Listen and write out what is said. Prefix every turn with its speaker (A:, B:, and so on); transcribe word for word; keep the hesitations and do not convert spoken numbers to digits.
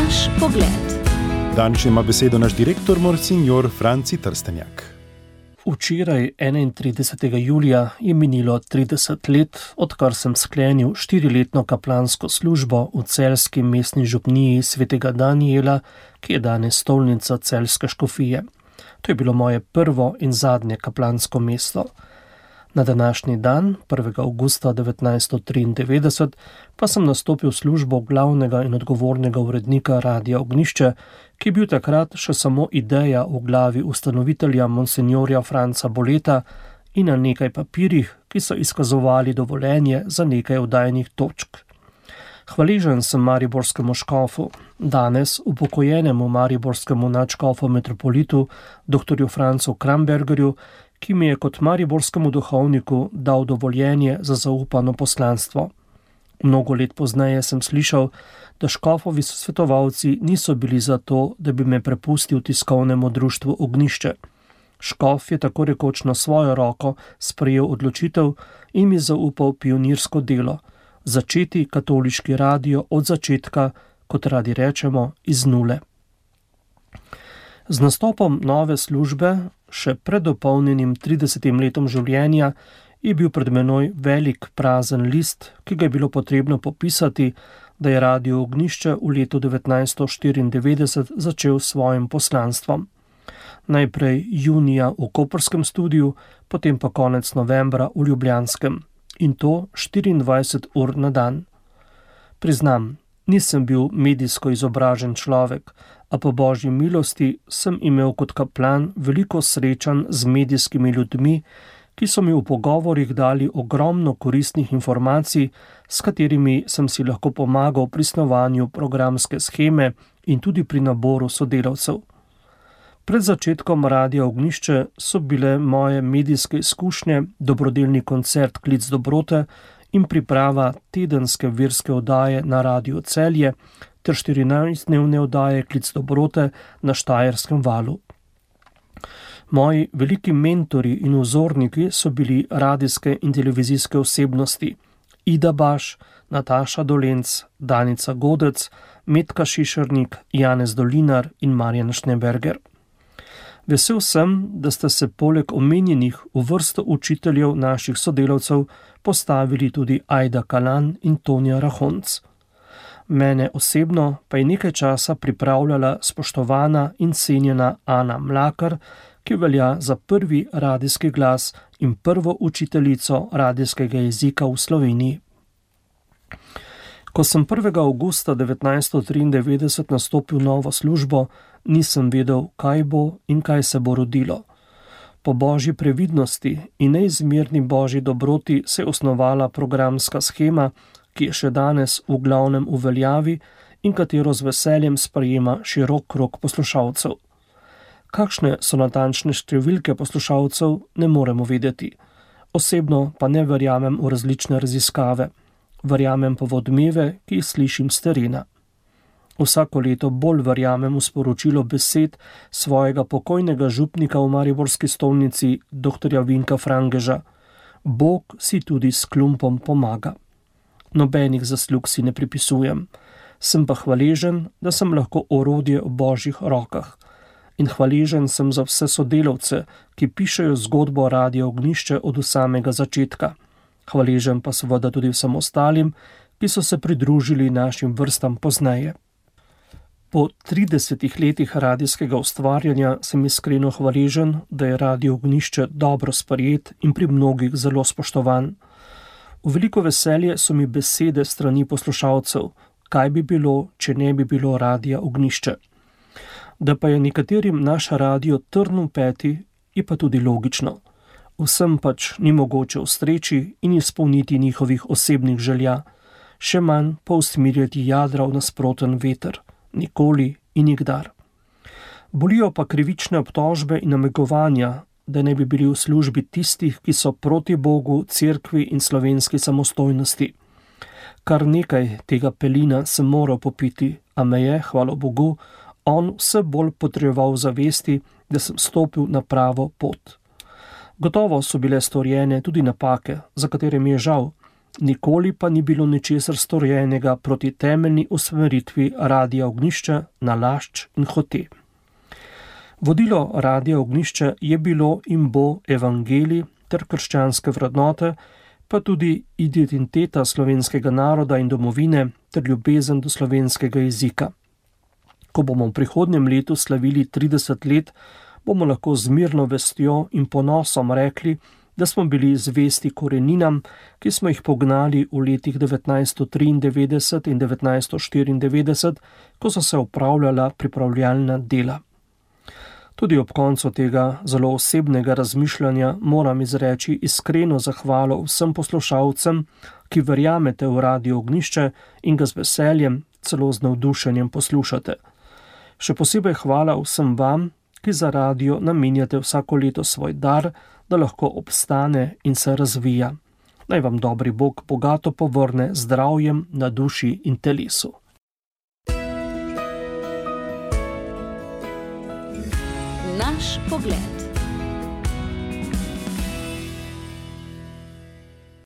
A: Naš pogled.
B: Danes ima besedo naš direktor, monsignor Franci Trstenjak.
C: Včeraj, enaintridesetega julija, je minilo trideset let, odkar sem sklenil štiriletno kaplansko službo v celjski mestni župniji svetega Danijela, ki je danes stolnica celjske škofije. To je bilo moje prvo in zadnje kaplansko mesto. Na današnji dan, prvega avgusta devetnajststo triindevetdeset, pa sem nastopil službo glavnega in odgovornega urednika Radia Ognjišče, ki je bil takrat še samo ideja v glavi ustanovitelja monsinjorja Franca Boleta in na nekaj papirjih, ki so izkazovali dovoljenje za nekaj oddajnih točk. Hvaležen sem mariborskemu škofu, danes upokojenemu mariborskemu nadškofu metropolitu, doktorju Francu Krambergerju, ki mi je kot mariborskemu duhovniku dal dovoljenje za zaupano poslanstvo. Mnogo let pozneje sem slišal, da škofovi svetovalci niso bili za to, da bi me prepustil tiskovnemu društvu Ognjišče. Škof je tako rekoč na svojo roko sprejel odločitev in mi zaupal pionirsko delo, začeti katoliški radio od začetka, kot radi rečemo, iz nule. Z nastopom nove službe, še pred dopolnjenim tridesetim letom življenja, je bil pred menoj velik prazen list, ki ga je bilo potrebno popisati, da je Radio Ognjišče v letu devetnajststo štiriindevetdeset začel s svojim poslanstvom. Najprej junija v koprskem studiu, potem pa konec novembra v ljubljanskem. In to štiriindvajset ur na dan. Priznam, nisem bil medijsko izobražen človek, a po božji milosti sem imel kot kaplan veliko srečanj z medijskimi ljudmi, ki so mi v pogovorih dali ogromno koristnih informacij, s katerimi sem si lahko pomagal pri snovanju programske sheme in tudi pri naboru sodelavcev. Pred začetkom Radia Ognjišče so bile moje medijske izkušnje dobrodelni koncert Klic dobrote in priprava tedenske verske oddaje na Radiu Celje ter štirinajstdnevne oddaje Klic dobrote na Štajerskem valu. Moji veliki mentori in vzorniki so bili radijske in televizijske osebnosti Ida Baš, Nataša Dolenc, Danica Godec, Metka Šišernik, Janez Dolinar in Marjan Šneberger. Vesel sem, da ste se poleg omenjenih v vrsto učiteljev naših sodelavcev postavili tudi Ajda Kalan in Tonja Rahonc. Mene osebno pa je nekaj časa pripravljala spoštovana in cenjena Ana Mlakar, ki velja za prvi radijski glas in prvo učiteljico radijskega jezika v Sloveniji. Ko sem prvega avgusta devetnajststo triindevetdeset nastopil novo službo, nisem vedel, kaj bo in kaj se bo rodilo. Po božji previdnosti in neizmerni božji dobroti se je osnovala programska shema, ki je še danes v glavnem v veljavi in katero z veseljem sprejema širok krog poslušalcev. Kakšne so natančne številke poslušalcev, ne moremo vedeti. Osebno pa ne verjamem v različne raziskave. Verjamem pa v odmeve, ki jih slišim s terena. Vsako leto bolj verjamem v sporočilo besed svojega pokojnega župnika v mariborski stolnici, doktorja Vinka Frangeža. Bog si tudi s klumpom pomaga. Nobenih zaslug si ne pripisujem. Sem pa hvaležen, da sem lahko orodje v božjih rokah. In hvaležen sem za vse sodelavce, ki pišejo zgodbo Radia Ognjišče od samega začetka. Hvaležen pa seveda tudi vsem ostalim, ki so se pridružili našim vrstam pozneje. Po tridesetih letih radijskega ustvarjanja sem iskreno hvaležen, da je Radio Ognjišče dobro sprejet in pri mnogih zelo spoštovan. V veliko veselje so mi besede strani poslušalcev, kaj bi bilo, če ne bi bilo Radia Ognjišče. Da pa je nekaterim naš radio trn v peti, je pa tudi logično. Vsem pač ni mogoče ustreči in izpolniti njihovih osebnih želja, še manj pa usmirjati jadra v nasproten veter, nikoli in nikdar. Bolijo pa krivične obtožbe in namigovanja, da ne bi bili v službi tistih, ki so proti Bogu, cerkvi in slovenski samostojnosti. Kar nekaj tega pelina sem moral popiti, a me je, hvala Bogu, on vse bolj potreboval zavesti, da sem stopil na pravo pot. Gotovo so bile storjene tudi napake, za katere mi je žal, nikoli pa ni bilo ničesar storjenega proti temeljni usmeritvi Radia Ognjišče na Lašč in Hote. Vodilo Radia Ognjišče je bilo in bo evangelij ter krščanske vrednote, pa tudi identiteta slovenskega naroda in domovine ter ljubezen do slovenskega jezika. Ko bomo v prihodnjem letu slavili trideset let, bomo lahko z mirno vestjo in ponosom rekli, da smo bili zvesti koreninam, ki smo jih pognali v letih devetnajststo triindevetdeset in devetnajststo štiriindevetdeset, ko so se opravljala pripravljalna dela. Tudi ob koncu tega zelo osebnega razmišljanja moram izreči iskreno zahvalo vsem poslušalcem, ki verjamete v Radio Ognjišče in ga z veseljem, celo z navdušenjem poslušate. Še posebej hvala vsem vam, ki za radio namenjate vsako leto svoj dar, da lahko obstane in se razvija. Naj vam dobri Bog bogato povrne zdravjem na duši in telesu.
A: Naš pogled.